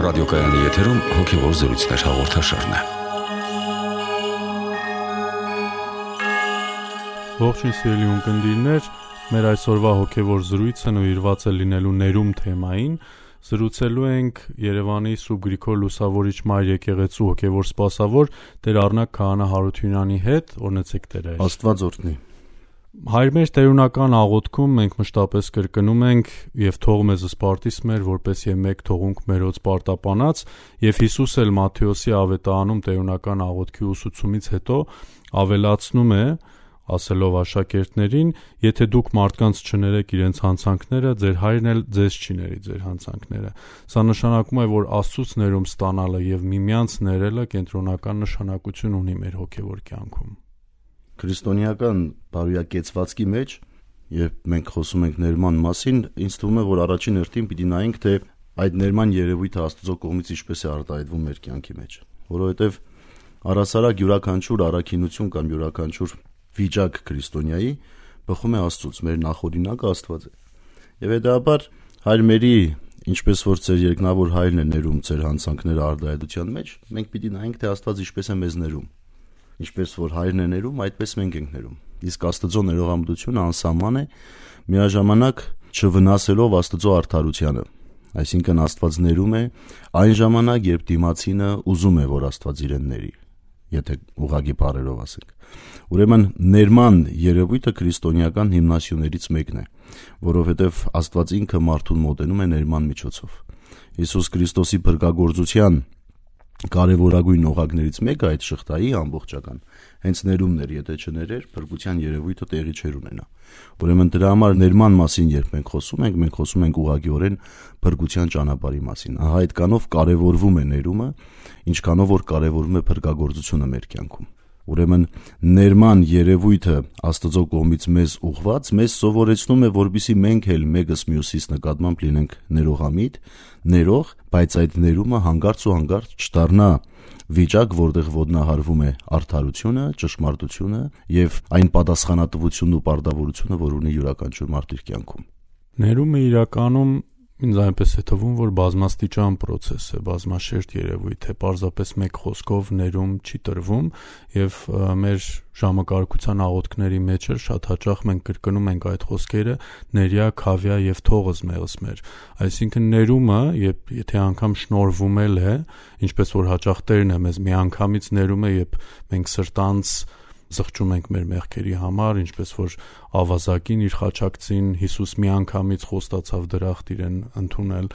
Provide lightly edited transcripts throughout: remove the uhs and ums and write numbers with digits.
ռադիոկայանի եթերում հոգևոր զրույցներ հաղորդաշարն է։ Ողջույն սիրելի ունկնդիրներ, մեր այսօրվա հոգևոր զրույցը նվիրված է լինելու ներում թեմային։ Զրուցելու ենք Երևանի Սուրբ Գրիգոր Լուսավորիչ Մայր եկեղեցու հոգևոր սպասավոր Տեր Առնակ Քահանա Հարությունյանի հետ։ Օրհնեցեք Տեր Հայր։ Աստված օրհնի։ Հայր մեր տերունական աղոթքում մենք մշտապես կրկնում ենք եւ թող մեզ սպարտիս մեր, որպես եւ մեկ թողունք մերոց պարտապանած, եւ Հիսուս էլ Մատթեոսի ավետարանում տերունական աղոթքի ուսուցումից հետո ավելացնում է, ասելով աշակերտներին, եթե դուք մարդկանց չներեք իրենց հանցանքները, ձեր հայրն էլ ձեզ չի ների ձեր հանցանքները։ Սա նշանակում է, որ Աստծուց ներում ստանալը եւ միմյանց ներելը կենտրոնական նշանակություն ունի մեր հոգեվոր կյանքում։ Քրիստոնեական բարոյակեցվածքի մեջ, երբ մենք խոսում ենք ներման մասին, ինձ թվում է, որ առաջին հերթին պիտի նայենք, թե այդ ներման երևույթը Աստծո կողմից ինչպես է արտահայտվում մեր կյանքի մեջ, որովհետև առասարակ յուրաքանչյուր առաքինություն կամ յուրաքանչյուր վիճակ քրիստոնյայի բխում է Աստծուց, մեր նախօրինակը Աստված է։ Եվ հետաբար Հայր մերի, ինչպես որ ձեր երկնավոր հայրն է ներում ձեր հանցանքները արտահայտության մեջ, մենք պիտի նայենք, թե Աստված ինչպես է մեզ ներում։ Ինչպես որ հայրն է ներում, այդպես մենք ենք ներում։ Իսկ Աստծո ներողամտությունը անսահման է, միաժամանակ չվնասելով Աստծո արդարությանը։ Այսինքն Աստված ներում է այն ժամանակ, երբ դիմացինը ուզում է, որ Աստված իրեն ների, եթե ուղղակի բառերով ասենք։ Ուրեմն ներման երևույթը քրիստոնեական հիմնասյուներից մեկն է, որովհետև Աստված ինքը մարդուն մոտենում է ներման միջոցով։ Հիսուս Քրիստոսի փրկagorցության կարևորագույն օղակներից մեկը այդ շղթայի ամբողջական հենց ներումն էր, եթե չներեր, փրկության երևույթը տեղի չէր ունենա։ Ուրեմն դրա համար ներման մասին երբ մենք խոսում ենք ուղղակիորեն փրկության ճանապարհի մասին։ Ահա այդ կանով կարևորվում է ներումը, ինչքանով որ կարևորվում է փրկagorցությունը մեր կյանքում։ Ուրեմն ներման երևույթը Աստծո կողմից մեզ ուղված մեզ սովորեցնում է, որպեսզի մենք էլ մեկս մյուսից նկատմամբ լինենք ներողամիտ, ներող, բայց այդ ներումը հանգարց ու հանգարց չդառնա վիճակ, որտեղ ոտնահարվում է արդարությունը, ճշմարտությունը եւ այն պատասխանատվությունն ու պարտավորությունը, որ ունի յուրաքանչյուր մարդ իր կյանքում։ Ներումը իրականում ինձ այնպես է թվում, որ բազմաստիճան process է, բազմաշերտ երևույթ է, պարզապես մեկ խոսքով ներում չի տրվում եւ մեր ժամակարգության աղոթքների մեջ էլ շատ հաճախ մենք կրկնում ենք այդ խոսքերը՝ ներյա, քավյա եւ թողս մեղս մեր։ Այսինքն ներումը, եթե անգամ շնորհվում էլ է, ինչպես որ հաճախ Տերն է մեզ միանգամից ներում է, երբ մենք սրտանց զղջում ենք մեր մեղքերի համար, ինչպես որ ավազակին իր խաչակցին Հիսուս միանգամից խոստացավ դրախտ իրեն ընդունել,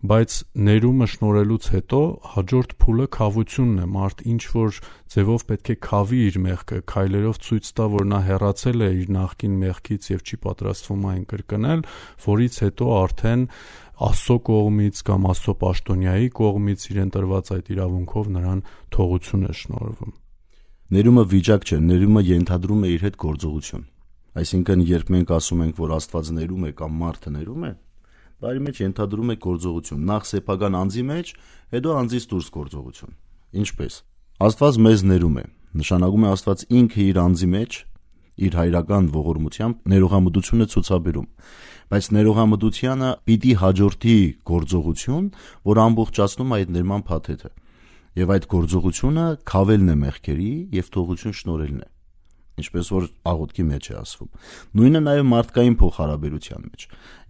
բայց ներումը շնորհելուց հետո հաջորդ փուլը քավությունն է, մարդ ինչ որ ձևով պետք է քավի իր մեղքը, քայլերով ցույց տա, որ նա հեռացել է իր նախկին մեղքից եւ չի պատրաստվում այն կրկնել, որից հետո արդեն Աստծո կողմից կամ Աստծո պաշտոնյայի կողմից իրեն տրված այդ իրավունքով նրան թողություն է շնորհվում։ Ներումը վիճակ չէ, ներումը ենթադրում է իր հետ գործողություն։ Այսինքն, երբ մենք ասում ենք, որ Աստված ներում է կամ մարդը ներում է, բարի մեջ ենթադրում է գործողություն, նախ սեփական անձի մեջ, հետո անձից դուրս գործողություն։ Ինչպես։ Աստված մեզ ներում է, նշանակում է Աստված ինքը իր անձի մեջ, իր հայրական ողորմությամբ ներողամտությունը ցուցաբերում, բայց ներողամտությանը պիտի հաջորդի գործողություն, որ ամբողջացնում այդ ներման փաթեթը։ Եվ այդ գործողությունը քավելն է մեղքերի եւ թողություն շնորհելն է, ինչպես որ աղոթքի մեջ է ասվում։ Նույնը նաեւ մարդկային փոխհարաբերության մեջ։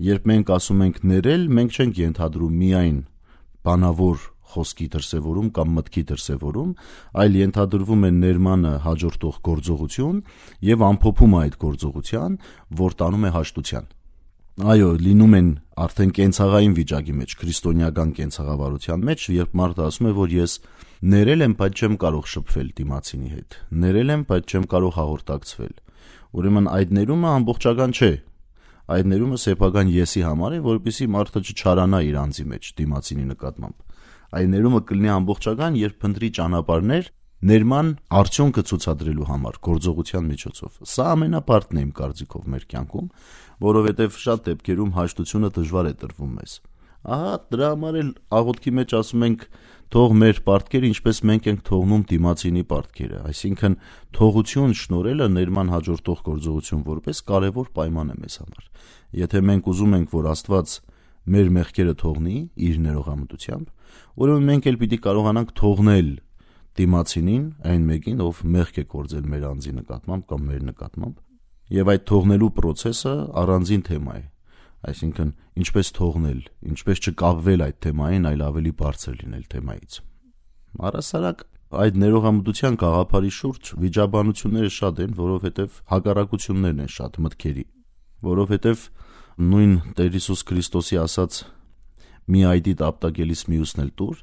Երբ մենք ասում ենք ներել, մենք չենք ենթադրում միայն բանավոր խոսքի դրսևորում կամ մտքի դրսևորում, այլ ենթադրվում է ներմանը հաջորդող գործողություն եւ ամփոփում այդ գործողության, որ տանում է հաշտության։ Այո, լինում են արդեն կենցաղային վիճակի մեջ, քրիստոնեական կենցաղավարության մեջ, երբ մարդը ասում է, որ ես ներել եմ, բայց չեմ կարող շփվել դիմացինի հետ։ Ներել եմ, բայց չեմ կարող հաղորդակցվել։ Ուրեմն այդ ներումը ամբողջական չէ։ Այդ ներումը սեփական եսի համար է, որպեսզի մարդը չչարանա իր անձի մեջ դիմացինի նկատմամբ։ Այդ ներումը կլինի ամբողջական, երբ փնտրի ճանապարհներ ներման արդյունքը ցուցադրելու համար գործողության միջոցով։ Սա ամենապարտն է իմ կարծիքով մեր կյանքում, որովհետև շատ դեպքերում հաշտությունը դժվար է տրվում մեզ։ Ահա դրա համար էլ աղոթքի մեջ ասում ենք թող մեր պարտքերը ինչպես մենք ենք թողնում դիմացինի պարտքերը, այսինքն թողություն շնորհելը ներման հաջորդող գործողություն որպես կարևոր պայման է մեզ համար։ Եթե մենք ուզում ենք, որ Աստված մեր մեղքերը թողնի իր ներողամտությամբ, ուրեմն մենք էլ պիտի կարողանանք թողնել դիմացինին, այն մեկին, ով մեղք է կործել մեր անձի նկատմամբ կամ մեր նկատմամբ, եւ այդ թողնելու process-ը առանձին թեմա է, այսինքն ինչպես թողնել, ինչպես չկապվել այդ թեմային, այլ ավելի բարձր լինել թեմայից։ Առհասարակ այդ ներողամտության գաղափարի շուրջ վիճաբանությունները շատ են, որովհետև հակառակություններն են շատ մտքերի, որովհետև նույն Տեր Հիսուս Քրիստոսի ասած մի այդի տապտակելիս մյուսն էլ տուր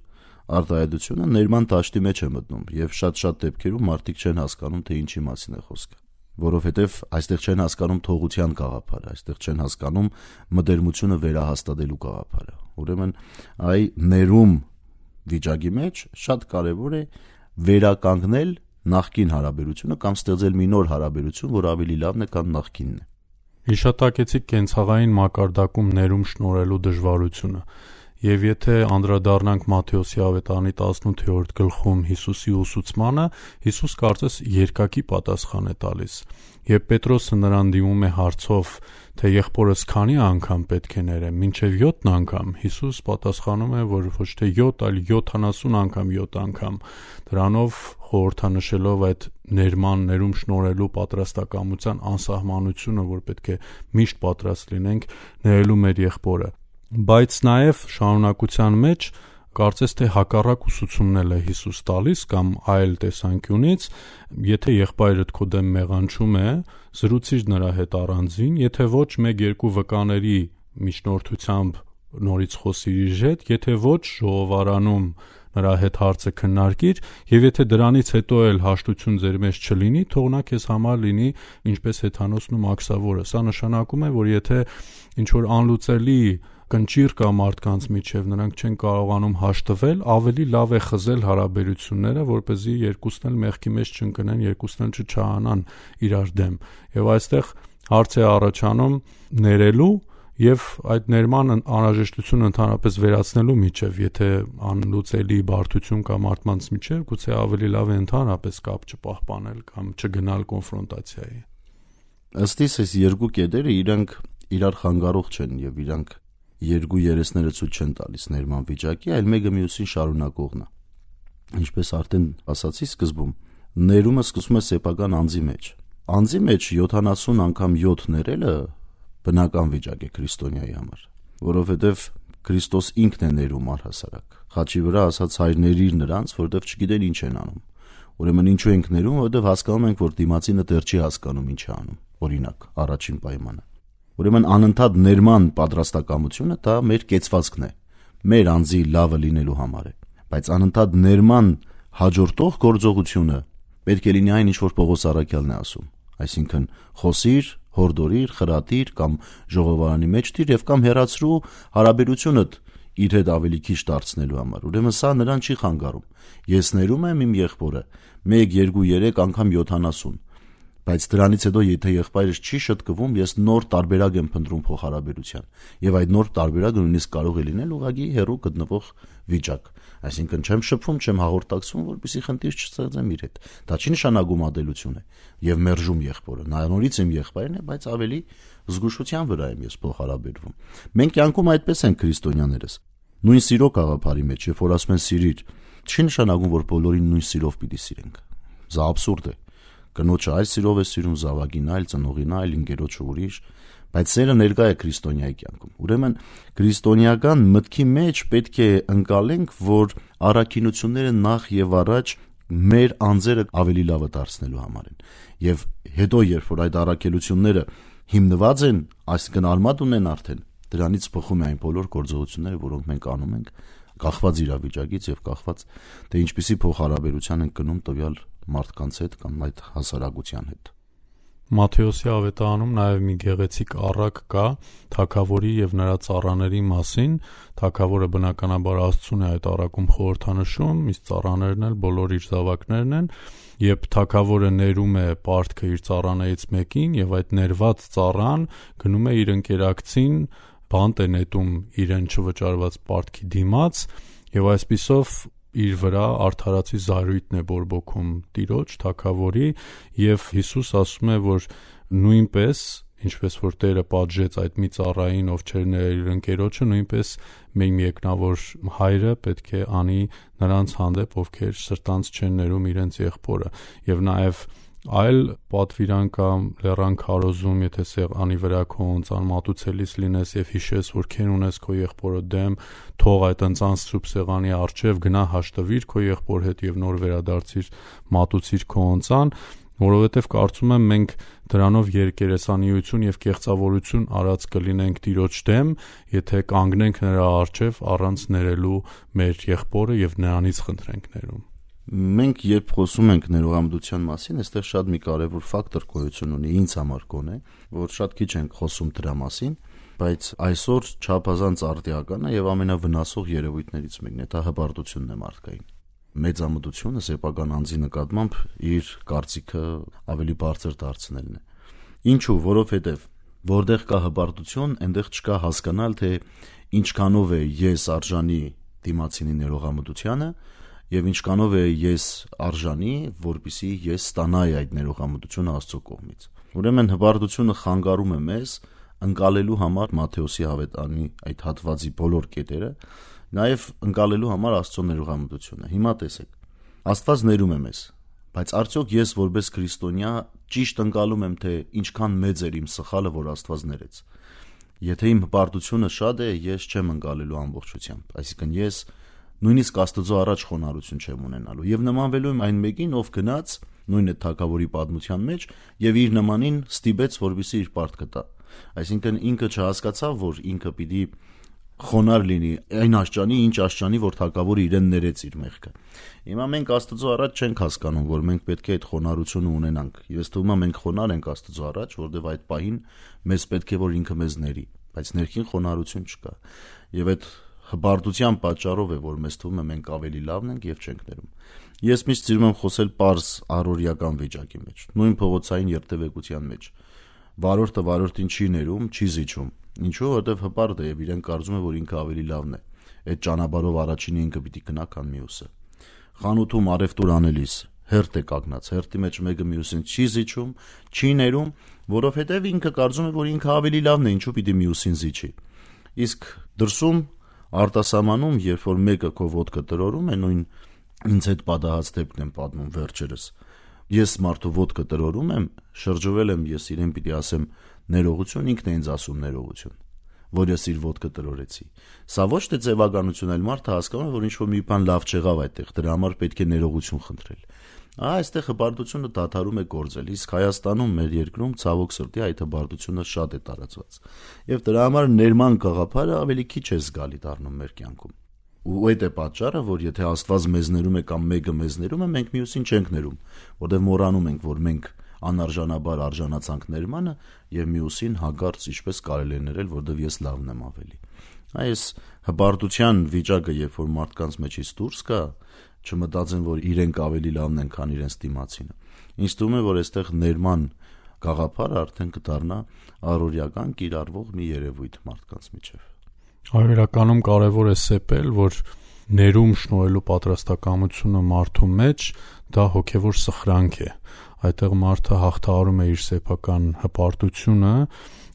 արտահայտությունը ներման դաշտի մեջ է մտնում եւ շատ դեպքերում մարդիկ չեն հասկանում, թե ինչի մասին է խոսքը, որովհետև այստեղ չեն հասկանում թողության գաղափարը, այստեղ չեն հասկանում մտերմությունը վերահաստատելու գաղափարը։ Ուրեմն այ ներում վիճակի մեջ շատ կարևոր է վերականգնել նախկին հարաբերությունը կամ ստեղծել մի նոր հարաբերություն, որ ավելի լավն է, քան նախկինն է։ Հիշատակեցիք կենցաղային մակարդակում ներում շնորհելու դժվարությունը։ Եվ եթե անդրադառնանք Մատթեոսի ավետարանի 18-րդ գլխում Հիսուսի ուսուցմանը, Հիսուս կարծես երկակի պատասխան է տալիս։ Երբ Պետրոսը նրան դիմում է հարցով, թե եղբորս քանի անգամ պետք է ներեմ, մինչև 7 անգամ, Հիսուս պատասխանում է, որ ոչ թե 7, այլ 70 անգամ 7 անգամ, դրանով խորհրդանշելով այդ ներում շնորհելու պատրաստակամության անսահմանությունը, որ պետք է միշտ պատրաստ լինենք ներելու մեր եղբորը։ Բայց նաև շարունակության մեջ կարծես թե հակառակ ուսուցումն է Հիսուս տալիս կամ այլ տեսանկյունից, եթե եղբայրդ քո դեմ մեղանչում է, զրուցիր նրա հետ առանձին, եթե ոչ 1-2 վկաների միջնորդությամբ նորից խոսիր իր հետ, եթե ոչ ժողովարանում նրա հետ հարցը քննարկիր, եւ եթե դրանից հետո էլ հաշտություն ձեր մեջ չլինի, թող նա քեզ համար լինի ինչպես հեթանոսն ու մաքսավորը։ Սա նշանակում է, որ եթե ինչ որ անլուծելի կնճիռ կա մարդկանց միջև, նրանք չեն կարողանում հաշտվել, ավելի լավ է խզել հարաբերությունները, որպեսզի երկուսն էլ մեղքի մեջ չընկնեն, երկուսն էլ չչահանան իրար դեմ։ Եվ այստեղ հարց է առաջանում ներելու եւ այդ ներման անհրաժեշտությունը ընդհանրապես վերացնելու միջև, եթե անլուծելի բարդություն կա մարդկանց միջև, գուցե ավելի լավ է ընդհանրապես կապ չպահպանել կամ չգնալ կոնֆրոնտացիայի։ Ըստ իս այս երկու կետերը իրանք իրար խանգարող չեն եւ իրանք երկու երեսները ցույց չեն տալիս ներման վիճակի, այլ մեկը մյուսին շարունակողն է։ Ինչպես արդեն ասացի սկզբում, ներումը սկսվում է սեփական անձի մեջ։ Անձի մեջ 70 անգամ 7 ներելը բնական վիճակ է քրիստոնյայի համար, որովհետև Քրիստոս ինքն է ներում առհասարակ։ Խաչի վրա ասած հայր ներիր նրանց, որովհետև չգիտեն ինչ են անում։ Ուրեմն ինչու ենք ներում, որովհետև հասկանում ենք, որ դիմացինը դեռ չի հասկանում ինչ է անում։ Օրինակ, առաջին պայմանը։ Ուրեմն անընդհատ ներման պատրաստակամությունը դա մեր կեցվածքն է, մեր անձի լավը լինելու համար է, բայց անընդհատ ներման հաջորդող գործողությունը պետք է լինի այն, ինչ որ Պողոս առաքյալն է ասում, այսինքն խոսիր, հորդորիր, խրատիր կամ ժողովարանի մեջ դիր եւ կամ հեռացրու հարաբերությունդ իր հետ ավելի քիչ դարձնելու համար։ Ուրեմն սա նրան չի խանգարում։ Ես ներում եմ իմ եղբորը 1, 2, 3 անգամ 70, բայց դրանից հետո եթե եղբայրս չի շտկվում, ես նոր տարբերակ եմ փնտրում փոխհարաբերության եւ այդ նոր տարբերակը նույնիսկ կարող է լինել ուղղակի հեռու գտնվող վիճակ, այսինքն չեմ շփվում, չեմ հաղորդակցվում, որպեսզի խնդիր չստեղծեմ իր հետ։ Դա չի նշանակում ադելություն է եւ մերժում եղբորը, նա նորից իմ եղբայրն է, բայց ավելի զգուշության վրա եմ ես փոխհարաբերվում։ Մենք կյանքում այդպես ենք քրիստոնյաներս, նույն սիրո գաղափարի մեջ, երբ որ ասում են սիրիր, չի նշանակում, որ բոլորին նույն սիրով պիտի սիրենք։ Դա աբսուրդ է։ Կնոջը այլ սիրով է սիրում, զավակին այլ, ծնողին այլ, ընկերոջը ուրիշ, բայց սերը ներկա է քրիստոնյայի կյանքում։ Ուրեմն քրիստոնեական մտքի մեջ պետք է ընկալենք, որ առաքինությունները նախ եւ առաջ մեր անձերը ավելի լավը դարձնելու համար են։ Եվ հետո երբ որ այդ առաքելությունները հիմնված են, այսինքն արմատ ունեն արդեն, դրանից բխում է այն բոլոր գործողությունները, որոնք մենք անում ենք, կախված իրավիճակից եւ կախված թե ինչպիսի փոխհարաբերության ենք գնում տվյալ մարդկանց հետ կամ այդ հասարակության հետ։ Մատթեոսի ավետարանում նաև մի գեղեցիկ առակ կա թագավորի եւ նրա ծառաների մասին։ Թագավորը բնականաբար Աստծուն է այդ առակում խորհրդանշում, իսկ ծառաներն էլ բոլոր իր զավակներն են, երբ թագավորը ներում է պարտքը իր ծառաներից մեկին եւ այդ ներված ծառան գնում է իր ընկերակցին, բանտ է նետում իրեն չվճարված պարտքի դիմաց եւ այսպիսով իր վրա արդարացի զայրույթն է բորբոքում տիրոջ թագավորի եւ Հիսուս ասում է, որ նույնպես ինչպես որ Տերը պատժեց այդ մի ծառային, ով չէր ներել իր ընկերոջը, նույնպես մեր միեկնավոր հայրը պետք է անի նրանց հանդեպ, ովքեր սրտանց չեն ներում իրենց եղբորը։ Եվ նաև այլ պատվիրան կամ լեռան քարոզում, եթե սեղանի վրա քո ընծան մատուցելիս լինես եւ հիշես, որ քեն ունես քո եղբորը դեմ, թող այդ ընծան սուրբ սեղանի առջև գնա հաշտվիր քո եղբոր հետ եւ նոր վերադարձիր մատուցիր քո ընծան, որովհետեւ կարծում եմ մենք դրանով երկերեսանիություն եւ կեղծավորություն արած կլինենք Տիրոջ դեմ, եթե կանգնենք նրա առջև առանց ներելու մեր եղբորը եւ նրանից խնդրենք ներում։ Մենք երբ խոսում ենք ներողամտության մասին, այստեղ շատ մի կարևոր ֆակտոր գոյություն ունի ինձ համար կոնե, որ շատ քիչ ենք խոսում դրա մասին, բայց այսօր չափազանց արդիական է եւ ամենավնասող երևույթներից մեկն է, դա հպարտությունն է մարդկային։ Մեծամտությունը սեփական անձի նկատմամբ իր կարծիքը ավելի բարձր դարձնելն է։ Ինչու՞, որովհետեւ որտեղ կա հպարտություն, այնտեղ չկա հասկանալ, թե ինչքանով է ես արժանի դիմացինի ներողամտությանը եւ ինչքանով է ես արժանի, որպեսզի ես ստանայի այդ ներողամտությունը Աստծո կողմից։ Ուրեմն հպարտությունը խանգարում է մեզ ընկալելու համար Մատթեոսի ավետարանի այդ հատվածի բոլոր կետերը, նաեւ ընկալելու համար Աստծո ներողամտությունը։ Հիմա տեսեք, Աստված ներում է մեզ, բայց արդյոք ես որպես քրիստոնյա ճիշտ ընկալում եմ, թե ինչքան մեծ էր իմ սխալը, որ Աստված ներեց։ Եթե իմ հպարտությունը շատ է, ես չեմ ընկալելու ամբողջությամբ, այսինքն ես նույնիսկ Աստծո առաջ խոնարհություն չեմ ունենալու եւ նմանվելու եմ այն մեկին, ով գնաց նույն այդ թագավորի պատմության մեջ եւ իր նմանին ստիպեց, որպեսզի իր պարտքը տա։ Այսինքն ինքը չհասկացավ, որ ինքը պիտի խոնարհ լինի այն աշճանի, ինչ աշճանի, որ թագավորը իրեն ներեց իր մեղքը։ Հիմա մենք Աստծո առաջ չենք հասկանում, որ մենք պետք է այդ խոնարհությունը ունենանք։ Ես թվում է մենք խոնարհ ենք Աստծո առաջ, որովհետեւ այդ պահին մեզ պետք է որ ինքը մեզ ների, բայց ներքին խոնարհություն չկա։ Եվ այդ հպարտության պատճառով է, որ մեզ թվում է մենք ավելի լավն ենք եւ չենք ներում։ Ես միշտ սիրում եմ խոսել պարզ առօրյական վիճակի մեջ, նույն փողոցային երթևեկության մեջ։ Վարորդը վարորդին չի ներում, չի զիջում։ Ինչու՞, որովհետեւ հպարտ է եւ իրեն կարծում է, որ ինքը ավելի լավն է։ Այդ ճանապարհով առաջինը ինքը պիտի գնա, քան մյուսը։ Խանութում արևտուր անելիս հերթ է կանգնած, հերթի մեջ մեկը մյուսին չի զիջում, չի ներում, որովհետեւ ինքը կարծում է, որ ինքը ավելի լավն է, ինչու պիտի մյուսին զիջի։ Իսկ դրսում արտասահմանում, երբ որ մեկը քո ոտքը տրորում է, նույն ինձ հետ պատահած դեպքն եմ պատմում վերջերս։ Ես մարդու ոտքը տրորում եմ, շրջվել եմ, ես իրեն պիտի ասեմ ներողություն, ինքն է ինձ ասում ներողություն, որ ես իր ոտքը տրորեցի։ Սա ոչ թե ձևականություն էլ մարդը հասկանում է, որ ինչ-որ մի բան լավ չեղավ այդտեղ, դրա համար պետք է ներողություն խնդրել։ Այստեղ հպարտությունը դադարում է գործել, իսկ Հայաստանում մեր երկրում ցավոք սրտի այդ հպարտությունը շատ է տարածված։ Եվ դրա համար ներման գաղափարը ավելի քիչ է զգալի դառնում մեր կյանքում։ Ու այդ է պատճառը, որ եթե Աստված մեզ ներում է կամ մեկը մեզ ներում է, մենք մյուսին չենք ներում, որտեղ մոռանում ենք, որ մենք անարժանաբար արժանացանք ներմանը եւ մյուսին հագարց ինչպես կարելի է ներել, որովհետեւ ես լավն եմ ավելի։ Այս հպարտության վիճակը, երբ որ մարդկանց մեջից դուրս կա, չմտածեն, որ իրենք ավելի լավն են, քան իրենց դիմացինը։ Ինձ թվում է, որ այստեղ ներման գաղափարը արդեն կդառնա առօրյական կիրառվող մի երևույթ մարդկանց միջև։ Այո, իրականում կարևոր է սեպել, որ ներում շնորհելու պատրաստակամությունը մարդու մեջ դա հոգևոր սխրանք է։ Այդտեղ մարդը հաղթահարում է իր սեփական հպարտությունը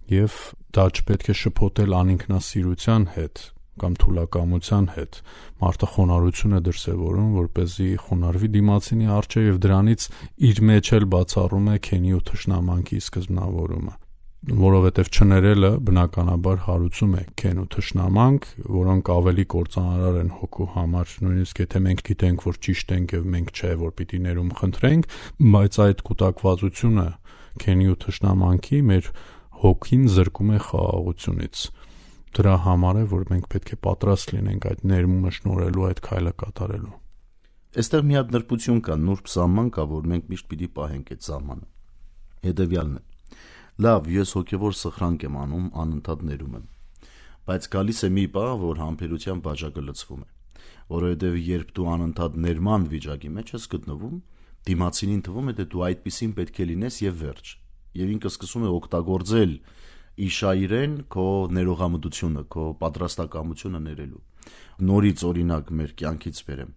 եւ դա չպետք է շփոթել անինքնասիրության հետ կամ թուլակամության հետ։ Մարդը խոնարհություն է դրսևորում, որպեսզի խոնարհվի դիմացինի առջև եւ դրանից իր մեջ էլ բացառում է քենի ու թշնամանքի սկզբնավորումը, որովհետեւ չներելը բնականաբար հարուցում է քեն ու թշնամանք, որոնք ավելի կործանարար են հոգու համար, նույնիսկ եթե մենք գիտենք, որ ճիշտ ենք եւ մենք չէ, որ պիտի ներում խնդրենք, բայց այդ կուտակվածությունը քենի ու թշնամանքի մեր հոգին զրկում է խաղաղությունից։ Դրա համար է, որ մենք պետք է պատրաստ լինենք այդ ներմումը շնորհելու, այդ քայլը կատարելու։ Այստեղ մի հատ նրբություն կա, նուրբ սահման կա, որ մենք միշտ պիտի պահենք այդ սահմանը։ Հետևյալն է. լավ, ես հոգևոր սխրանք եմ անում, անընդհատ ներում եմ, բայց գալիս է մի պահ, որ համբերության բաժակը լցվում է, որովհետև երբ դու անընդհատ ներման վիճակի մեջ ես գտնվում, դիմացինին թվում է, թե դու այդպիսին պետք է լինես եւ վերջ, եւ ինքը սկսում է օգտագործել իշայրեն քո ներողամտությունը, քո պատրաստակամությունը ներելու։ Նորից օրինակ մեր կյանքից բերեմ։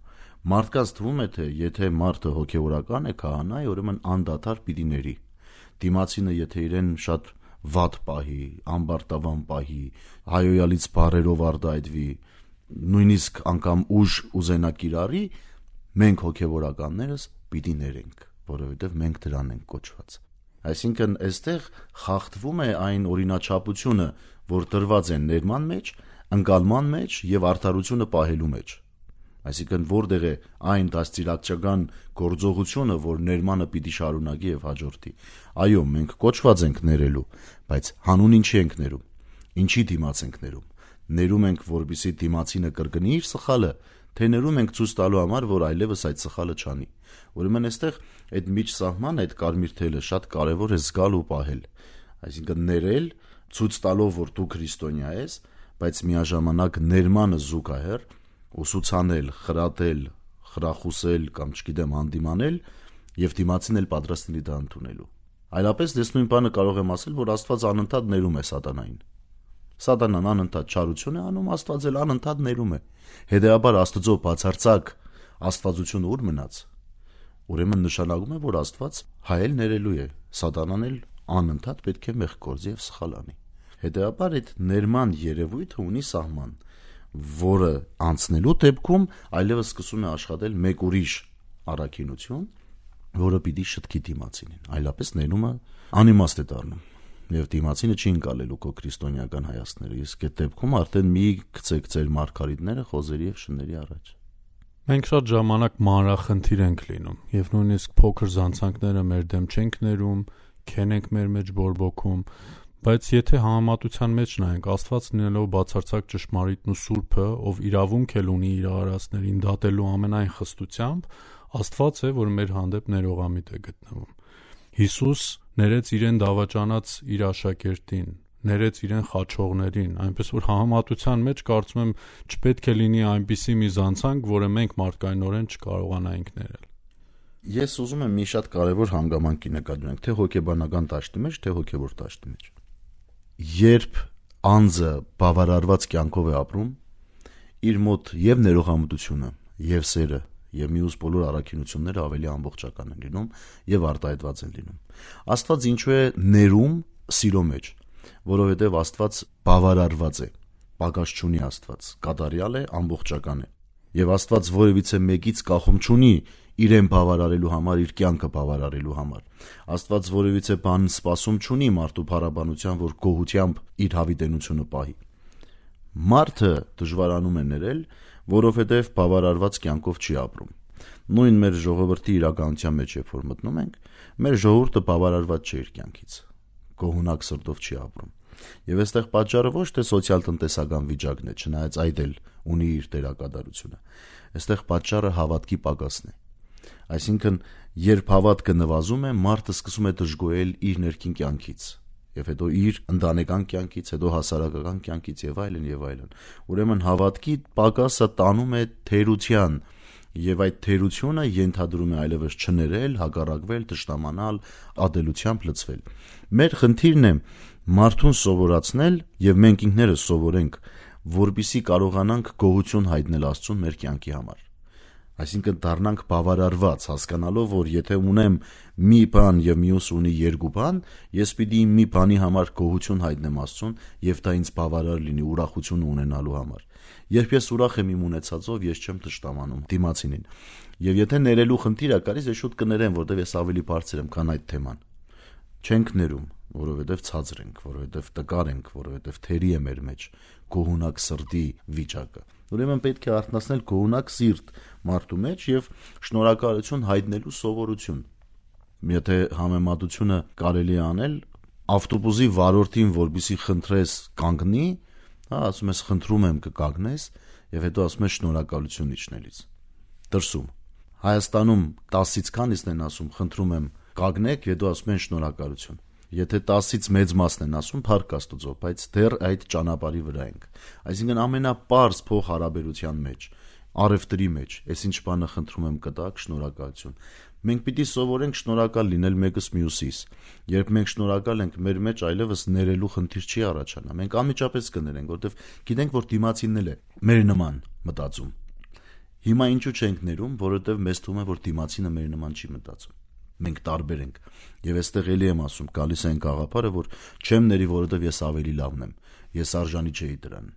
Մարդկանց թվում է, թե եթե մարդը հոգևորական է, քահանա է, ուրեմն անդադար պիտի ների։ Դիմացինը եթե իրեն շատ վատ պահի, ամբարտավան պահի, հայոյալից բառերով արտահայտվի, նույնիսկ անգամ ուժ ուզենա կիրառի, մենք հոգևորականներս պիտի ներենք, որովհետև մենք դրան ենք կոչված։ Այսինքն այստեղ խախտվում է այն օրինաչափությունը, որ տրված է ներման մեջ, ընկալման մեջ եւ արդարությունը պահելու մեջ։ Այսինքն որտեղ է այն դաստիարակչական գործողությունը, որ ներմանը պիտի շարունակի եւ հաջորդի։ Այո, մենք կոչված ենք ներելու, բայց հանուն ինչի ենք ներում։ Ինչի դիմաց ենք ներում։ Ներում ենք, որպեսզի դիմացինը կրկնի իր սխալը, թե ներում ենք ցույց տալու համար, որ այլևս այդ սխալը չանի։ Ուրեմն այստեղ այդ միջսահման, այդ կարմիր թելը շատ կարևոր է զգալ ու պահել։ Այսինքն ներել, ցույց տալով, որ դու քրիստոնյա ես, բայց միաժամանակ ներմանը զուգահեռ ուսուցանել, խրատել, խրախուսել կամ չգիտեմ հանդիմանել եւ դիմացին էլ պատրաստ լինի դա ընդունելու։ Այլապես դες նույն բանը կարող եմ ասել, որ Աստված անընդհատ ներում է սատանային։ Սատանան անընդհատ չարություն է անում, Աստված էլ անընդհատ ներում է։ Հետեւաբար Աստծո բացարձակ աստվածությունը ուր մնաց։ Ուրեմն նշանակում է, որ Աստված հայել ներելու է, սատանան էլ անընդհատ պետք է մեղք գործի եւ սխալ անի։ Հետեւաբար այդ ներման երևույթը ունի սահման, որը անցնելու դեպքում այլևս սկսում է աշխատել մեկ ուրիշ առաքինություն, որը պիտի շտկի դիմացինին, այլապես ներումը անիմաստ է դառնում եւ դիմացինը չի ընկալելու քո քրիստոնեական հայացքները, իսկ այդ դեպքում արդեն մի գցեք ձեր մարգարիտները խոզերի եւ շների առաջ։ Մենք շատ ժամանակ մանրախնդիր ենք լինում եւ նույնիսկ փոքր զանցանքները մեր դեմ չենք ներում, քեն ենք մեր մեջ բորբոքում, բայց եթե համեմատության մեջ նայենք, Աստված լինելով բացարձակ ճշմարիտն ու սուրբը, ով իրավունք էլ ունի իր արարածներին դատելու ամենայն խստությամբ, Աստված է, որ մեր հանդեպ ներողամիտ է գտնվում։ Հիսուս ներեց իրեն դավաճանած իր աշակերտին, ներեց իրեն խաչողներին, այնպես որ համեմատության մեջ կարծում եմ չպետք է լինի այնպիսի մի զանցանք, որը մենք մարդկայնորեն չկարողանայինք ներել։ Ես ուզում եմ մի շատ կարևոր հանգամանքի նկատենք, թե հոգեբանական դաշտի մեջ, թե հոգևոր դաշտի մեջ։ Երբ անձը բավարարված կյանքով է ապրում, իր մոտ եւ ներողամտությունը, եւ սերը, եւ մյուս բոլոր առաքինությունները ավելի ամբողջական են լինում եւ արտահայտված են լինում։ Աստված ինչու է ներում սիրո մեջ, որովհետեւ Աստված բավարարված է, պակաս չունի Աստված, կատարյալ է, ամբողջական է։ Եվ Աստված որևիցե մեկից կախում չունի իրեն բավարարելու համար, իր կյանքը բավարարելու համար։ Աստված որևիցե բան սպասում չունի մարդու փառաբանության, որ գոհությամբ իր հավիտենությունը պահի։ Մարդը դժվարանում է ներել, որովհետև բավարարված կյանքով չի ապրում։ Նույն մեր ժողովրդի իրականության մեջ երբ որ մտնում ենք, մեր ժողովուրդը բավարարված չէ իր կյանքից։ Գոհունակ սրտով չի ապրում։ Եվ այստեղ պատճառը ոչ թե սոցիալ-տնտեսական վիճակն է, չնայած այդ էլ ունի իր դերակատարությունը։ Այստեղ պատճառը հավատքի պակասն է։ Այսինքն, երբ հավատքը նվազում է, մարդը սկսում է դժգոհել իր ներքին կյանքից, եւ հետո իր ընտանեկան կյանքից, հետո հասարակական կյանքից եւ այլն եւ այլն։ Ուրեմն հավատքի պակասը տանում է թերության, եւ այդ թերությունը ենթադրում է այլևս չներել, հակառակվել, թշնամանալ, ադելությամբ լցվել։ Մեր խնդիրն է մարդուն սովորացնել եւ մենք ինքներս սովորենք, որպիսի կարողանանք գոհություն հայտնել Աստծուն մեր կյանքի համար։ Այսինքն դառնանք բավարարված, հասկանալով, որ եթե ունեմ մի բան եւ մյուս ունի երկու բան, ես պիտի մի բանի համար գոհություն հայտնեմ Աստծուն եւ դա ինձ բավարար լինի ուրախություն ունենալու համար։ Երբ ես ուրախ եմ իմ ունեցածով, ես չեմ թշնամանում դիմացինին։ Եվ եթե ներելու խնդիր է գալիս, ես շուտ կներեմ, որտեվ ես ավելի բարձր եմ, քան այդ թեման։ Չենք ներում, որովհետև ցածր ենք, որովհետև տկար ենք, որովհետև թերի է մեր մեջ գոհունակ սրտի վիճակը։ Ուրեմն պետք է արթնացնել գոհունակ սիրտ մարդու մեջ եւ շնորհակալություն հայտնելու սովորություն։ Եթե համեմատությունը կարելի է անել, ավտոբուսի վարորդին, որպեսզի խնդրես կանգնի, ասում ես խնդրում եմ կկանգնես եւ հետո ասում ես շնորհակալություն իջնելիս։ Դրսում Հայաստանում 10-ից քանիսն են ասում խնդրում եմ կանգնեք, հետո ասում են շնորհակալություն։ Եթե 10-ից մեծ մասն են ասում, փառք Աստծո, բայց դեռ այդ ճանապարհի վրա ենք։ Այսինքն ամենապարզ փոխհարաբերության մեջ, առևտրի մեջ, այս ինչ բանը խնդրում եմ կտակ, շնորհակալություն։ Մենք պիտի սովորենք շնորհակալ լինել մեկս մյուսիս։ Երբ մենք շնորհակալ ենք, մեր մեջ այլևս ներելու խնդիր չի առաջանա։ Մենք անմիջապես կներենք, որովհետև գիտենք, որ դիմացինն է մեր նման մտածում։ Հիմա ինչու չենք ներում, որովհետև մեզ թվում է, որ դիմացինը մեր նման չի մտածում։ մենք տարբեր ենք։ Եվ այստեղ էլի եմ ասում, գալիս է այն գաղափարը, որ չեմ ների, որովհետև ես ավելի լավն եմ, ես արժանի չէի դրան,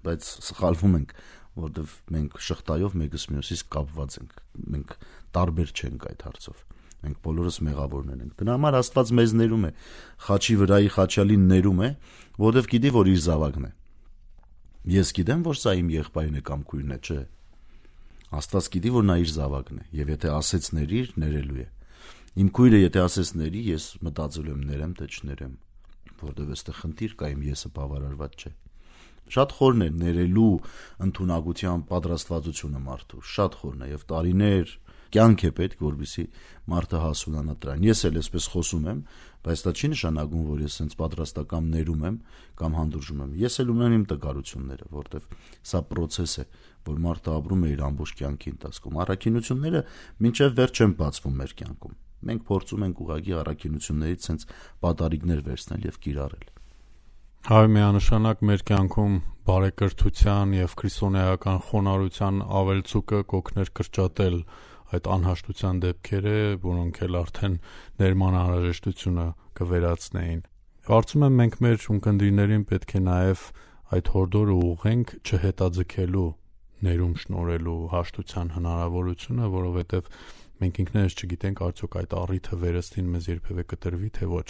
բայց սխալվում ենք, որովհետև մենք շղթայով մեկս մյուսից կապված ենք, մենք տարբեր չենք այդ հարցով, մենք բոլորս մեղավորներ ենք։ Դրա համար Աստված մեզ ներում է, խաչի վրայի խաչյալին ներում է, որովհետև գիտի, որ իր զավակն է։ Ես գիտեմ, որ սա իմ եղբայրն է կամ քույրն է, չէ։ Աստված գիտի, որ նա իր զավակն է, եւ եթե ասեց ների, ներելու է։ Իմ քույրը եթե ասես ների, ես մտածելու եմ ներեմ, թե չներեմ, որովհետև այստեղ խնդիր կա, իմ եսը բավարարված չէ։ Շատ խորն է ներելու ընդունակության պատրաստվածությունը մարդու, շատ խորն է եւ տարիներ կյանք է պետք, որպեսզի մարդը հասունանա դրան։ Ես էլ այսպես խոսում եմ, բայց դա չի նշանակում, որ ես sense պատրաստական ներում եմ կամ հանդուրժում եմ։ Ես էլ ունեմ իմ տկարությունները, որովհետև սա process է, որ մարդը ապրում է իր ամբողջ կյանքի ընթացքում։ Առաքինությունները մինչև վերջ չեն բացվում մեր կյանքում։ Մենք փորձում ենք ուղղակի առաքինություններից sense պատարիկներ վերցնել եւ կիրառել։ Հայ միանշանակ մեր կյանքում բարեկրթության եւ քրիստոնեական խոնարհության ավելցուկը կօգներ կրճատել այդ անհաշտության դեպքերը, որոնք էլ արդեն ներման անհրաժեշտությունը կվերացնեին։ Կարծում եմ մենք մեր ունկնդիրներին պետք է նաեւ այդ հորդորը ուղղենք չհետաձգելու ներում շնորհելու հաշտության հնարավորությունը, որովհետեւ մենք ինքներս չգիտենք արդյոք այդ առիթը վերստին մեզ երբևէ կտրվի թե ոչ։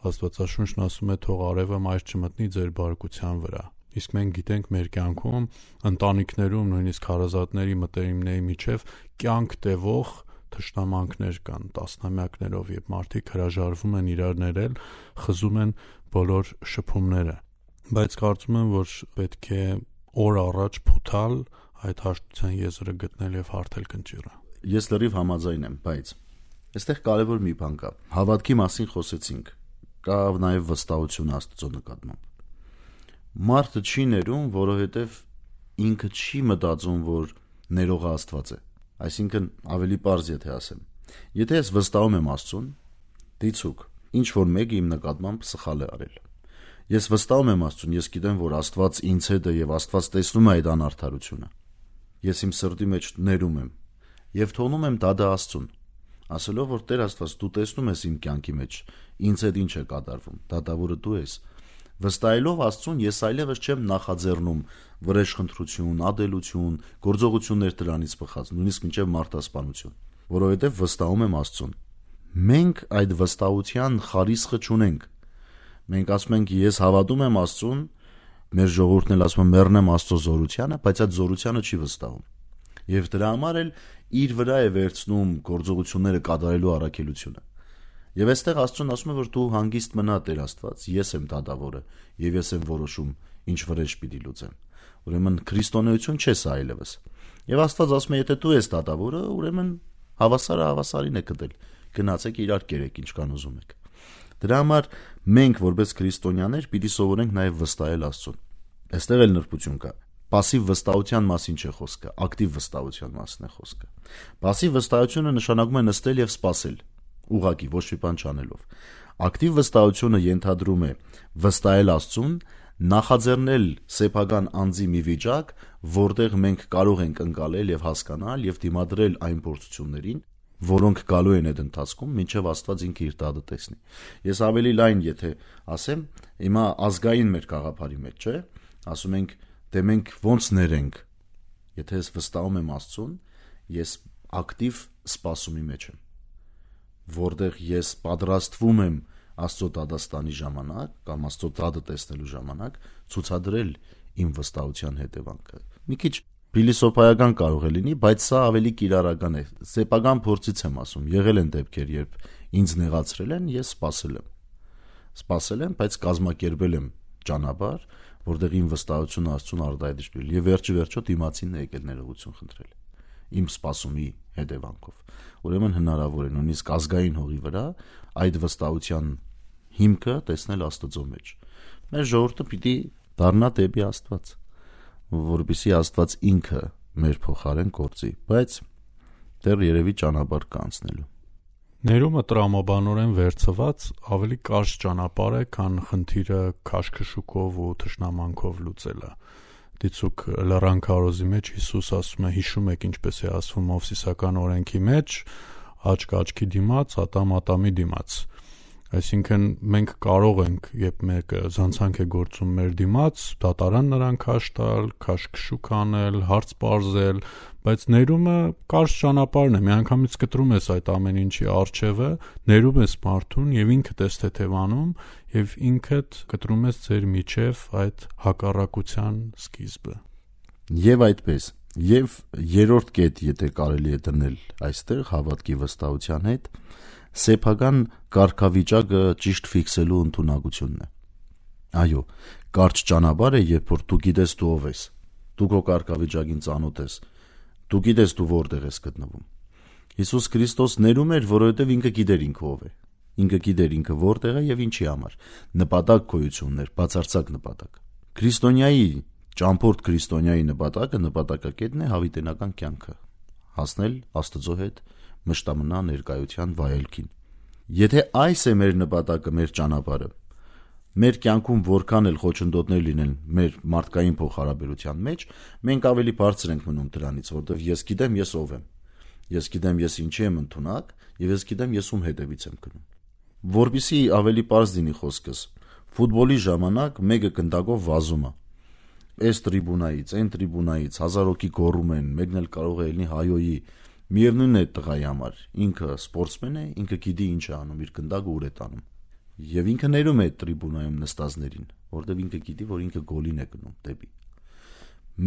Աստվածաշունչն ասում է թող արևը մայր չմտնի ձեր բարկության վրա։ Իսկ մենք գիտենք մեր կյանքում, ընտանիքներում, նույնիսկ հարազատների մտերիմների միջև կյանք տևող թշնամանքներ կան տասնամյակներով, եւ մարդիկ հրաժարվում են իրար ներել, խզում են բոլոր շփումները։ Բայց կարծում եմ, որ պետք է օր առաջ փութալ այդ հաշտության եզրը գտնել եւ հարթել կնճիռը։ Ես լրիվ համաձայն եմ, բայց այստեղ կարևոր մի բան կա։ Հավատքի մասին խոսեցինք, կա նաև վստահություն Աստծո նկատմամբ։ Մարդը չի ներում, որովհետև ինքը չի մտածում, որ ներողը Աստված է։ Այսինքն ավելի պարզ եթե ասեմ, եթե ես վստահում եմ Աստծուն, դիցուկ, ինչ որ մեկը իմ նկատմամբ սխալ է արել։ Ես վստահում եմ Աստծուն, ես գիտեմ, որ Աստված ինձ հետ է եւ Աստված տեսնում է այդ անարդարությունը։ Ես իմ սրտի մեջ ներում եմ եւ թողնում եմ դա Աստծուն, ասելով, որ Տեր Աստված, դու տեսնում ես իմ կյանքի մեջ, ինձ հետ ինչ է կատարվում, դատավորը դու ես։ Վստահելով Աստծուն, ես այլևս չեմ նախաձեռնում վրեժխնդրություն, ադելություն, գործողություններ դրանից բխած, նույնիսկ մինչև մարտահրավերություն, որովհետև վստահում եմ Աստծուն։ Մենք այդ վստահության խարիսխը չունենք։ Մենք ասում ենք, ես հավատում եմ Աստծուն, մեր ժողովուրդն էլ ասում է մեռնեմ Աստծո զորությանը, բայց այդ զորությանը չի վստահում։ Եվ դրա համար էլ իր վրա է վերցնում գործողությունները կատարելու առաքելությունը։ Եվ այստեղ Աստծուն ասում է, որ դու հանգիստ մնա Տեր Աստված, ես եմ դատավորը, եւ ես եմ որոշում, ինչ վրեժ պիտի լուծեմ։ Ուրեմն քրիստոնեություն չէ սա այլևս։ Եվ Աստված ասում է, եթե դու ես դատավորը, ուրեմն հավասարը հավասարին է կդել։ Գնացեք իրար կերեք, ինչ կան ուզում եք։ Դրա համար մենք որպես քրիստոնյաներ պիտի սովորենք նաև վստահել Աստծուն։ Այստեղ էլ նրբություն կա։ Պասիվ վստահության մասին չէ խոսքը, ակտիվ վստահության մասին է խոսքը։ Պասիվ վստահությունը նշանակում է նստել եւ սպասել, ուղղակի ոչ մի բան չանելով։ Ակտիվ վստահությունը ենթադրում է վստահել Աստծուն, նախաձեռնել սեփական անձի մի վիճակ, որտեղ մենք կարող ենք ընկալել եւ հասկանալ եւ դիմադրել այն փորձություններին, որոնք գալու են այդ ընթացքում, մինչև Աստված ինքը իր տատը տեսնի։ Ես ավելի լայն եթե ասեմ, հիմա ազգային մեր գաղափարի մեջ, չէ՞, ասում ենք, դե մենք ոնց ներենք։ Եթե ես վստահում եմ Աստծուն, ես ակտիվ սպասումի մեջ եմ, որտեղ ես պատրաստվում եմ Աստծո դատաստանի ժամանակ կամ Աստծո տատը տեսնելու ժամանակ ցուցադրել իմ վստահության հետևանքը։ Մի քիչ փիլիսոփայական կարող է լինի, բայց սա ավելի կիրառական է։ Սեփական փորձից եմ ասում, եղել են դեպքեր, երբ ինձ նեղացրել են, ես սպասել եմ, բայց կազմակերպել եմ ճանապարհ, որտեղ իմ վստահությունը Աստծուն արդայդրել եւ վերջը դիմացինն է եկել ներողություն խնդրել իմ սպասումի հետևանքով։ Ուրեմն հնարավոր է նույնիսկ ազգային հողի վրա այդ վստահության հիմքը տեսնել Աստծո մեջ։ Մեր ժողովուրդը պիտի դառնա դեպի Աստված, որպեսզի Աստված ինքը մեր փոխարեն գործի, բայց դեռ երևի ճանապարհ կա անցնելու։ Ներումը տրամաբանորեն վերցված ավելի կարճ ճանապարհ է, քան խնդիրը քաշքշուկով ու թշնամանքով լուծելը։ Դիցուկ լռան քարոզի մեջ Հիսուս ասում է, հիշում եք ինչպես է ասվում Մովսիսական օրենքի մեջ, աչք աչքի դիմաց, ատամ ատամի դիմաց։ Այսինքն մենք կարող ենք, երբ մեկը զանցանք է գործում մեր դիմաց, դատարան նրան քաշ տալ, քաշքշուկ անել, հարց պարզել, բայց ներումը կարճ ճանապարհն է, միանգամից կտրում ես այդ ամեն ինչի առջևը, ներում ես մարդուն եւ ինքդ ես թեթևանում եւ ինքդ կտրում ես ձեր միջև այդ հակառակության սկիզբը։ Եվ այդպես, եւ երրորդ կետ, եթե կարելի է դնել այստեղ հավատքի վստահության հետ, սեփական կարգավիճակը ճիշտ ֆիքսելու ընդունակությունն է։ Այո, կարճ ճանապարհ է, երբ որ դու գիտես դու ով ես, դու քո կարգավիճակին ծանոթ ես, դու գիտես դու որտեղ ես գտնվում։ Հիսուս Քրիստոս ներում էր, որովհետև ինքը գիտեր ինքը ով է, ինքը գիտեր ինքը որտեղ է եւ ինչի համար, նպատակ գոյություններ, բացարձակ նպատակ։ Քրիստոնյայի, ճամփորդ քրիստոնյայի նպատակակետն է հավիտենական կյանքը, հասնել Աստծո հետ մշտամնա ներկայության վայելքին։ Եթե այս է մեր նպատակը, մեր ճանապարհը, մեր կյանքում որքան էլ խոչընդոտներ լինեն մեր մարդկային փոխհարաբերության մեջ, մենք ավելի բարձր ենք մնում դրանից, որովհետև ես գիտեմ ես ով եմ, ես գիտեմ ես ինչի եմ ընդունակ եւ ես գիտեմ ես ում հետևից եմ գնում։ Որպեսզի ավելի པարզ լինի խոսքս, ֆուտբոլի ժամանակ մեկը գնդակով վազում է, այս տրիբունայից, այն տրիբունայից 1000 հոգի գոռում են, մեկն էլ կարող է լինի հայոյի, միևնույնն է տղայի համար, ինքը սպորտսմեն է, ինքը գիտի ինչ է անում, իր գնդակը ուր է տանում։ Եվ ինքը ներում է տրիբունայում նստածներին, որովհետև ինքը գիտի, որ ինքը գոլին է գնում դեպի։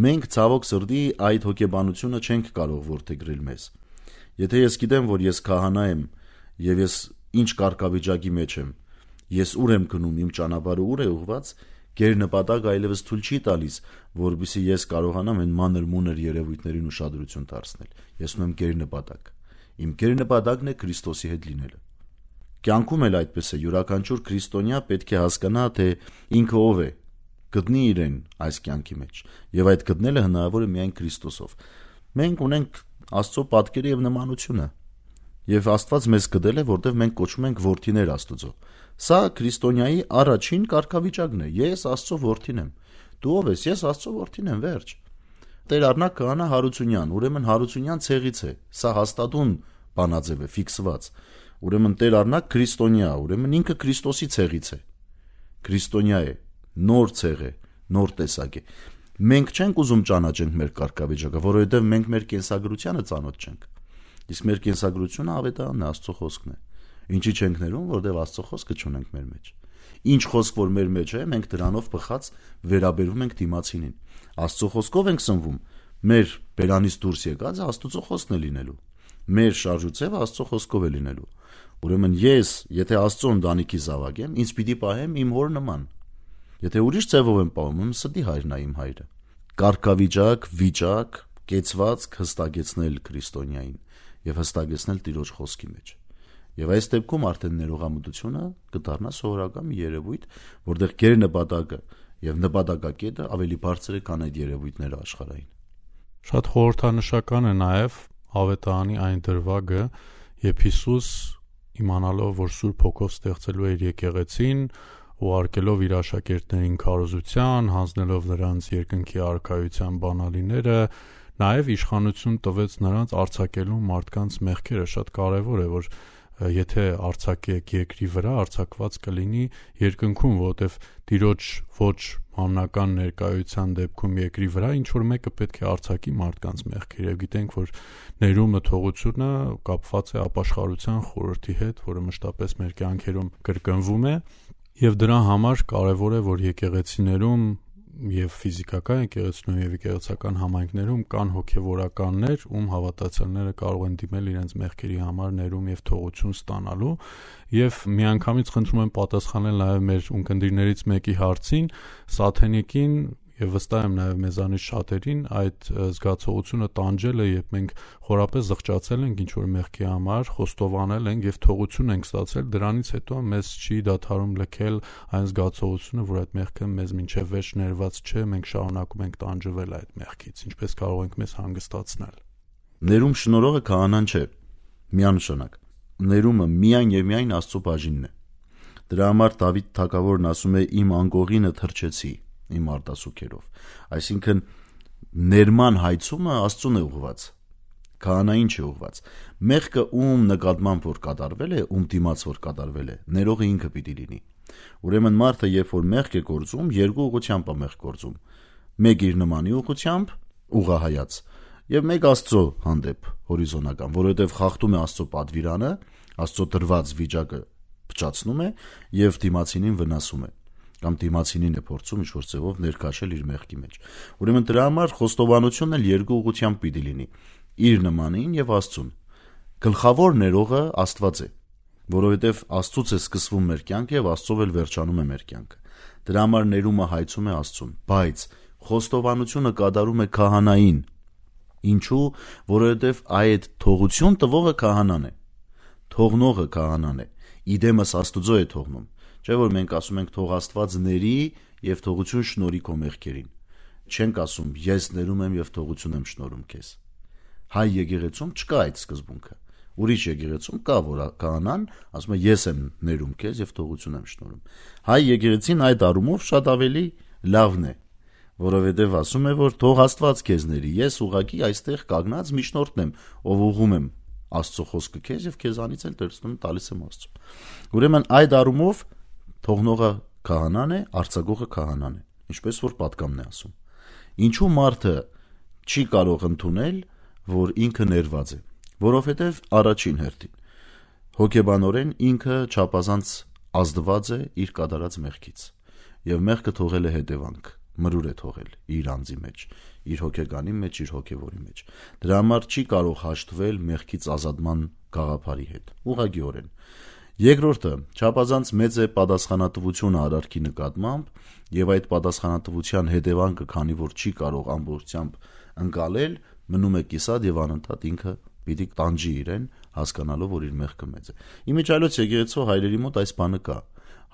Մենք ցավոք սրտի այդ հոգեբանությունը չենք կարող որդեգրել մեզ։ Եթե ես գիտեմ, որ ես քահանա եմ եւ ես ինչ կարգավիճակի մեջ եմ, ես ուր եմ գնում, իմ ճանապարհը ուր է ուղված, գերնպատակ այլևս թույլ չի տալիս, որովհետեւ ես կարողանամ այն մանր-մունր երևույթներին ուշադրություն դարձնել։ Ես ունեմ գերնպատակ։ Իմ գերնպատակն է Քրիստոսի հետ լինելը։ Կյանքում էլ այդպես է, յուրաքանչյուր քրիստոնյա պետք է հասկանա, թե ինքը ով է, գտնի իրեն այս կյանքի մեջ, եւ այդ գտնելը հնարավոր է միայն Քրիստոսով։ Մենք ունենք Աստծո պատկերը եւ նմանությունը, եւ Աստված մեզ գտել է, որտեղ մենք կոչվում ենք որդիներ Աստծո։ Սա քրիստոնյայի առաջին կարգավիճակն է։ Ես Աստծո որդին եմ։ Դու ով ես? Ես Աստծո որդին եմ, վերջ։ Տեր Առնակ Քահանա Հարությունյան, ուրեմն Հարությունյան ցեղից է։ Սա հաստատուն բանաձև է, ֆիքսված։ Ուրեմն Տեր Առնակ քրիստոնյա, ուրեմն ինքը Քրիստոսի ցեղից է։ Քրիստոնյա է, նոր ցեղ է, նոր տեսակ է։ Մենք չենք ուզում ճանաչենք մեր կարգավիճակը, որովհետև մենք մեր կենսագրությանը ծանոթ չենք։ Իսկ մեր կենսագրությունը ավետարանն է, Աստծո խոսքն է։ Ինչի չենք ներում, որովհետև Աստծո խոսքը չունենք մեր մեջ։ Ինչ խոսք որ մեր մեջ է, մենք դրանով բխած վերաբերվում ենք դիմացինին։ Աստծո խոսքով ենք սնվում, մեր բերանից դուրս եկածը Աստծո խոսքն է լինելու։ Մեր շարժուձևը Աստծո խոսքով է լինելու։ Ուրեմն ես, եթե Աստծո ընտանիքի զավակ եմ, ինձ պիտի պահեմ իմ հոր նման։ Եթե ուրիշ ձևով եմ պահում, ստի հայրն է իմ հայրը։ Կարգավիճակ, վիճակ, կեցվածք հստակեցնել քրիստոնյային եւ հստակեցնել Տիրոջ խոսքի մեջ։ Եվ այս դեպքում արդեն ներողամտությունը կդառնա սովորական մի երևույթ, որտեղ գեր նպատակը եւ նպատակակետը ավելի բարձր է, քան այդ երևույթները աշխարհային։ Շատ խորհրդանշական է նաեւ ավետարանի այն դրվագը, երբ Հիսուս իմանալով, որ Սուրբ Հոգով ստեղծելու էր եկեղեցին, ուղարկելով իր աշակերտներին քարոզության, հանձնելով նրանց երկնքի արքայության բանալիները, նաև իշխանություն տվեց նրանց արձակելու մարդկանց մեղքերը։ Շատ կարևոր է, որ եթե արձակեք երկրի վրա, արձակված կլինի երկնքում, որովհետև Տիրոջ ոչ համնական ներկայության դեպքում երկրի վրա ինչ որ մեկը պետք է արձակի մարդկանց մեղքերը։ Եվ գիտենք, որ ներումը թողությունը կապված է ապաշխարության խորհրդի հետ, որը մշտապես մեր կյանքերում կրկնվում է, եւ դրա համար կարևոր է, որ եկեղեցիներում եւ ֆիզիկական եկեղեցիներում եւ եկեղեցական համայնքներում կան հոգեվորականներ, ում հավատացյալները կարող են դիմել իրենց մեղքերի համար ներում եւ թողություն ստանալու, եւ միանգամից խնդրում եմ պատասխանել նաեւ մեր ունկնդիրներից մեկի հարցին, սաթենիկին եւ վստահ եմ նաեւ մեզանից շատերին այդ զգացողությունը տանջել է, երբ մենք խորապես զղջացել ենք ինչ որ մեղքի համար, խոստովանել ենք եւ թողություն ենք ստացել, դրանից հետո մեզ չի դադարում լքել այն զգացողությունը, որ այդ մեղքը մեզ մինչեւ վերջ ներված չէ, մենք շարունակում ենք տանջվել այդ մեղքից, ինչպես կարող ենք մեզ հանգստացնել։ Ներում շնորհողը քահանան չէ, միանշանակ։ Ներումը միայն եւ միայն Աստծո բաժինն է։ Դրա համար Դավիթ թագավորն ասում է իմ անկողինը թրջեցի իմ արտասուքերով, այսինքն ներման հայցումը Աստծուն է ուղված, քահանային չի ուղված։ Մեղքը ում նկատմամբ որ կատարվել է, ում դիմաց որ կատարվել է, ներողը ինքը պիտի լինի։ Ուրեմն մարդը երբ որ մեղք է գործում, երկու ուղղությամբ է մեղք գործում։ Մեկ իր նմանի ուղղությամբ, ուղղահայաց, եւ մեկ Աստծո հանդեպ հորիզոնական, որովհետեւ խախտում է Աստծո պատվիրանը, Աստծո տրված վիճակը փչացնում է եւ դիմացինին վնասում է, կամ դիմացինին է փորձում ինչ-որ ձևով ներքաշել իր մեղքի մեջ։ Ուրեմն դրա համար խոստովանությունն էլ երկու ուղղությամբ պիտի լինի՝ իր նմանին եւ Աստծուն։ Գլխավոր ներողը Աստված է, որովհետեւ Աստծուց է սկսվում մեր կյանքը եւ Աստծով էլ վերջանում է մեր կյանքը։ Դրա համար ներումը հայցում է Աստծուն, բայց խոստովանությունը կատարում է քահանային։ Ինչու? Որովհետեւ այդ թողություն տվողը քահանան է, թողնողը քահանան է, իդեմս Աստուծո է թողնում։ Չէ՞ որ մենք ասում ենք թող Աստված ների եւ թողություն շնորհի քո մեղքերին։ Չենք ասում ես ներում եմ եւ թողություն եմ շնորհում քեզ։ Հայ եկեղեցում չկա այդ սկզբունքը։ Ուրիշ եկեղեցում կա, որ քահանան ասում է ես եմ ներում քեզ եւ թողություն եմ շնորհում։ Հայ եկեղեցին այդ առումով շատ ավելի լավն է, որովհետեւ ասում է, որ թող Աստված քեզ ների, ես ուղակի այստեղ կանգնած միջնորդն եմ, ով ուղում եմ Աստծո խոսքը քեզ եւ քեզանից էլ դրսում տալիս եմ Աստծո։ Ուրեմն այդ առումով թողնողը քահանան է, արձակողը քահանան է, ինչպես որ պատգամն է ասում։ Ինչու մարդը չի կարող ընդունել, որ ինքը ներված է, որովհետեւ առաջին հերթին հոգեբանորեն ինքը չափազանց ազդված է իր կատարած մեղքից եւ մեղքը թողել է հետևանք, մրուր է թողել իր անձի մեջ, իր հոգեկանի մեջ, իր հոգեվորի մեջ։ Դրա համար չի կարող հաշտվել մեղքից ազատման գաղափարի հետ, ուղղակիորեն։ Երկրորդը, չափազանց մեծ է պատասխանատվությունը արարքի նկատմամբ եւ այդ պատասխանատվության հետևանքը, քանի որ չի կարող ամբողջությամբ ընկալել, մնում է կիսատ եւ անընդհատ ինքը պիտի տանջի իրեն, հասկանալով, որ իր մեղքը մեծ է։ Իմիջիայլոց եկեղեցու հայրերի մոտ այս բանը կա։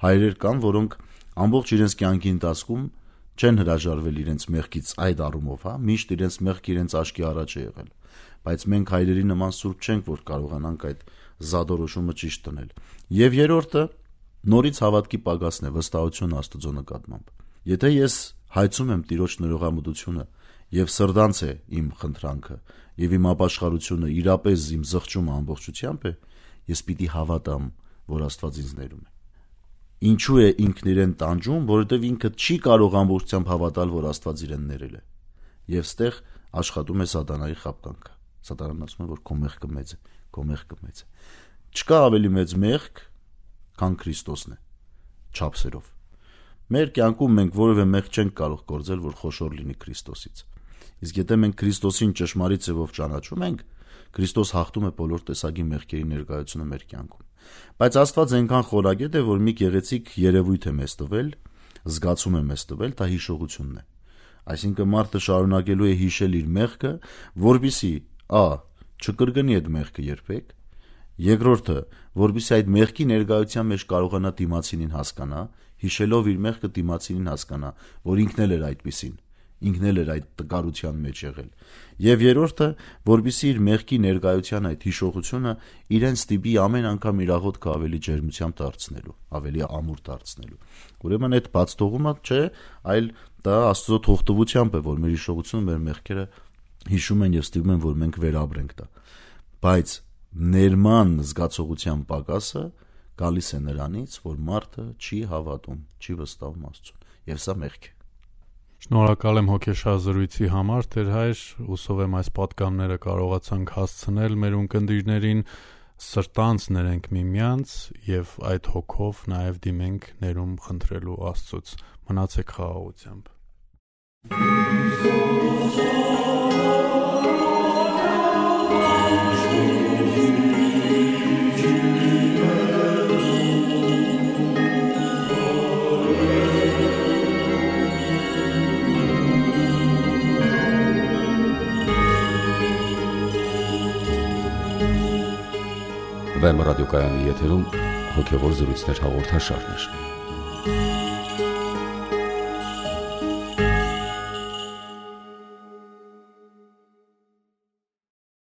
Հայրեր կան, որոնք ամբողջ իրենց կյանքի ընթացքում չեն հրաժարվել իրենց մեղքից այդ առումով, միշտ իրենց մեղքը իրենց աչքի առաջ է եղել։ Բայց մենք հայրերի նման սուրբ չենք, որ կարողանանք այդ զադորոշումը ճիշտ տնել։ Եվ երրորդը նորից հավատքի պակասն է, վստահություն Աստծո նկատմամբ։ Եթե ես հայցում եմ Տիրոջ ներողամտությունը եւ սրտանց է իմ խնդրանքը եւ իմ ապաշխարությունը իրապես իմ զղջումը ամբողջությամբ է, ես պիտի հավատամ, որ Աստված ինձ ներում է։ Ինչու է ինքն իրեն տանջում, որովհետեւ ինքը չի կարող ամբողջությամբ հավատալ, որ Աստված իրեն ներել է։ Եվ ստեղ աշխատում է սատանայի խաբկանքը։ Սատանան ասում է, որ քո մեղքը մեծ է, քո մեղքը մեծ է։ Չկա ավելի մեծ մեղք, քան Քրիստոսն է, չափսերով։ Մեր կյանքում մենք որևէ մեղք չենք կարող գործել, որ խոշոր լինի Քրիստոսից։ Իսկ եթե մենք Քրիստոսին ճշմարիտ ձևով ճանաչում ենք, Քրիստոս հաղթում է բոլոր տեսակի մեղքերի ներկայությունը մեր կյանքում։ Բայց Աստված այնքան խորագետ է, որ մի գեղեցիկ երևույթ է մեզ տվել, զգացում է մեզ տվել, դա հիշողությունն է։ Այսինքն մարդը շարունակելու է հիշել իր մեղքը, որպեսզի չկրկնի այդ մեղքը երբեք, երկրորդը, որպեսզի այդ մեղքի ներկայության մեջ կարողանա դիմացինին հասկանա, հիշելով իր մեղքը դիմացինին հասկանա, որ ինքն էլ էր այդպիսին, ինքն էլ էր այդ տկարության մեջ եղել։ Եվ երրորդը, որպեսզի իր մեղքի ներկայության այդ հիշողությունը իրեն ստիպի ամեն անգամ իր աղոթքը ավելի ջերմությամբ դարձնելու, ավելի ամուր դարձնելու։ Ուրեմն այդ բացթողումը չէ, այլ դա Աստծո թողտվությամբ է, որ մեր հիշողությունը, մեր մեղքերը հիշում են եւ ստիպում են, որ մենք վերաբրենք դա։ Բայց ներման զգացողության պակասը գալիս է նրանից, որ մարդը չի հավատում, չի վստահում Աստծուն, եւ սա մեղք է։ Շնորհակալ եմ հոգեշար զրույցի համար, Տեր հայր, հուսով եմ այս պատգամները կարողացանք հասցնել մեր ունկնդիրներին, սրտանց ներենք միմյանց եւ այդ հոգով նաեւ դիմենք ներում խնդրելու Աստծուց։ Մնացեք խաղաղությամբ։ Վեմ ռադիոկայանի եթերում հոգևոր զրույցներ հաղորդաշարներ։